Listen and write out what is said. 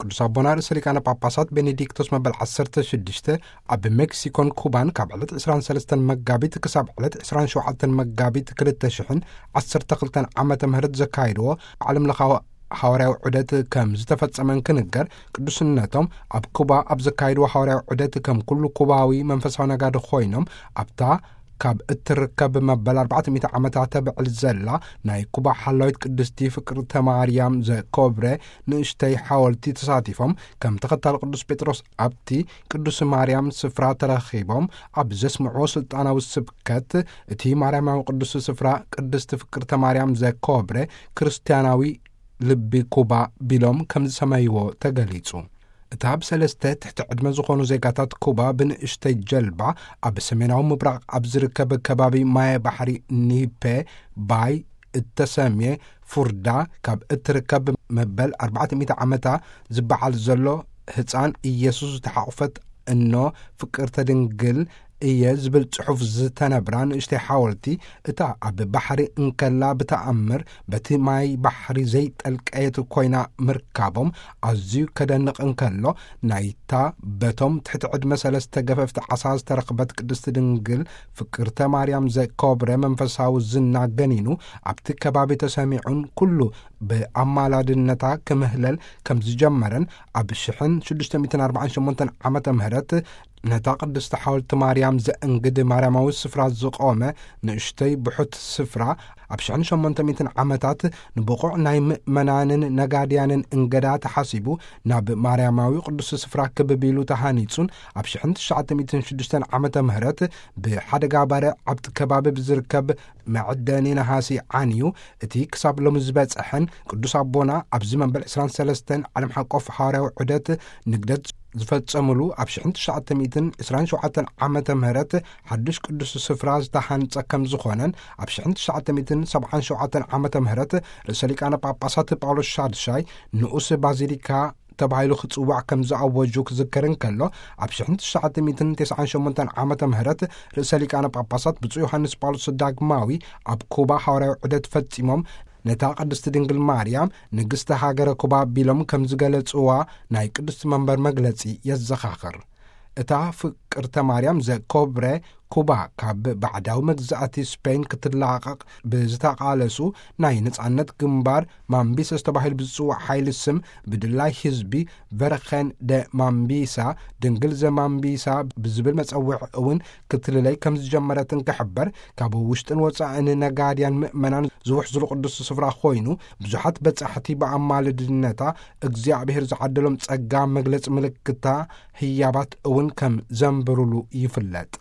ቅዱስ ኣቦና ርእሰ ሊቃነ ጳጳሳት ቤኔዲክቶስ መበል ዓሰርተ ሽዱሽተ ኣብ ሜክሲኮን ኩባን ካብ ዕለት ዕስራን ሰለስተን መጋቢት ክሳብ ዕለት ዕስራን ሸውዓተን መጋቢት ክልተሽሕን ዓሰርተ ክልተን ዓመተ ምህረት ዘካይድዎ ዓለም ለኻዊ ሃዋርያዊ ዑደት ከም ዝተፈጸመን ክንገር፣ ቅዱስነቶም ኣብ ኩባ ኣብ ዘካይድዎ ሃዋርያዊ ዑደት ከም ኩሉ ኩባዊ መንፈሳዊ ነጋዲ ኮይኖም ኣብታ ካብ እትርከብ መበል ኣርባዕተ ሚእቲ ዓመታ ተብዕል ዘላ ናይ ኩባ ሓላዊት ቅድስቲ ፍቅርተ ማርያም ዘኮብረ ንእሽተይ ሓወልቲ ተሳቲፎም፣ ከም ተኸታሊ ቅዱስ ጴጥሮስ ኣብቲ ቅዱስ ማርያም ስፍራ ተረኺቦም ኣብ ዘስምዕዎ ስልጣናዊ ስብከት፣ እቲ ማርያማዊ ቅዱስ ስፍራ ቅድስቲ ፍቅርተ ማርያም ዘኮብረ ክርስትያናዊ ልቢ ኩባ ቢሎም ከም ዝሰመይዎ ተገሊጹ። እታ ብሰለስተ ትሕቲ ዕድመ ዝኾኑ ዜጋታት ኩባ ብንእሽተይ ጀልባ ኣብ ሰሜናዊ ምብራቕ ኣብ ዝርከብ ከባቢ ማየ ባሕሪ ኒፔ ባይ እተሰምየ ፉርዳ ካብ እትርከብ መበል ኣርባዕተ ሚእቲ ዓመታ ዝበዓል ዘሎ ህፃን ኢየሱስ ዝተሓቑፈት እኖ ፍቅርተ ድንግል እየ ዝብል ጽሑፍ ዝተነብራ ንእሽተይ ሓወልቲ፣ እታ ኣብ ባሕሪ እንከላ ብተኣምር በቲ ማይ ባሕሪ ዘይጠልቀየት ኮይና ምርካቦም ኣዝዩ ከደንቕ እንከሎ፣ ናይታ በቶም ትሕቲ ዕድመ ሰለስተ ገፈፍቲ ዓሳ ዝተረኽበት ቅድስቲ ድንግል ፍቅርተ ማርያም ዘኮብረ መንፈሳዊ ዝና ገኒኑ ኣብቲ ከባቢ ተሰሚዑን ኩሉ ብኣማላድነታ ክምህለል ከም ዝጀመረን፣ ኣብ ሽሕን ሽዱሽተ ሚእትን ኣርባዓን ሸሞንተን ዓመተ ምህረት ነታ ቅድስቲ ሓወልቲ ማርያም ዘእንግድ ማርያማዊ ስፍራ ዝቖመ ንእሽተይ ብሑት ስፍራ፣ ኣብ ሽሕን ሸሞንተ ሚእትን ዓመታት ንብቑዕ ናይ ምእመናንን ነጋድያንን እንገዳ ተሓሲቡ ናብ ማርያማዊ ቅዱስ ስፍራ ክብቢሉ ተሃኒጹን፣ ኣብ ሽሕን ትሽዓተ ሚእትን ሽዱሽተን ዓመተ ምህረት ብሓደጋ ባርዕ ኣብቲ ከባቢ ብዝርከብ መዕደኒ ነሃሲ ዓንዩ፣ እቲ ክሳብ ሎሚ ዝበጽሐን ቅዱስ ኣቦና ኣብዚ መበል ዕስራን ሰለስተን ዓለም ሓቆፍ ሃዋርያዊ ዑደት ንግደት ዝፈጸሙሉ ኣብ ሽሕን ትሽዓተ ሚእትን ዕስራን ሸውዓተን ዓመተ ምህረት ሓድሽ ቅዱስ ስፍራ ዝተሃንጸ ከም ዝኾነን፣ ኣብ ሽሕን ትሽዓተ ሚእትን ሰብዓን ሸውዓተን ዓመተ ምህረት ርእሰ ሊቃነ ጳጳሳት ጳውሎስ ሻድሻይ ንኡስ ባዚሊካ ተባሂሉ ክጽዋዕ ከም ዝኣወጁ ክዝከር እንከሎ፣ ኣብ ሽሕን ትሽዓተ ሚእትን ተስዓን ሸሞንተን ዓመተ ምህረት ርእሰ ሊቃነ ጳጳሳት ብፁዕ ዮሃንስ ጳውሎስ ዳግማዊ ኣብ ኩባ ሃዋርያዊ ዑደት ፈጺሞም፣ ነታ ቅድስቲ ድንግል ማርያም ንግስቲ ሃገረ ኩባ ቢሎም ከም ዝገለጽዋ ናይ ቅድስቲ መንበር መግለጺ የዘኻኽር። እታ ፍቅርተ ማርያም ዘኮብረ ኩባ ካብ ባዕዳዊ መግዛእቲ ስፔን ክትላቐቕ ብዝተቓለሱ ናይ ነጻነት ግንባር ማምቢሳ ዝተባሂሉ ብዝጽዋዕ ሓይሊ ስም ብድላይ ህዝቢ ቨርኸን ደ ማምቢሳ፣ ድንግል ዘማምቢሳ ብዝብል መጸውዒ እውን ክትልለይ ከም ዝጀመረትን ክሕበር፣ ካብ ውሽጥን ወጻእን ነጋድያን ምእመናን ዝውሕዝሉ ቅዱስ ስፍራ ኮይኑ፣ ብዙሓት በጻሕቲ ብኣማልድነታ እግዚኣብሔር ዝዓደሎም ጸጋ መግለጺ ምልክታ ህያባት እውን ከም ዘንብሩሉ ይፍለጥ።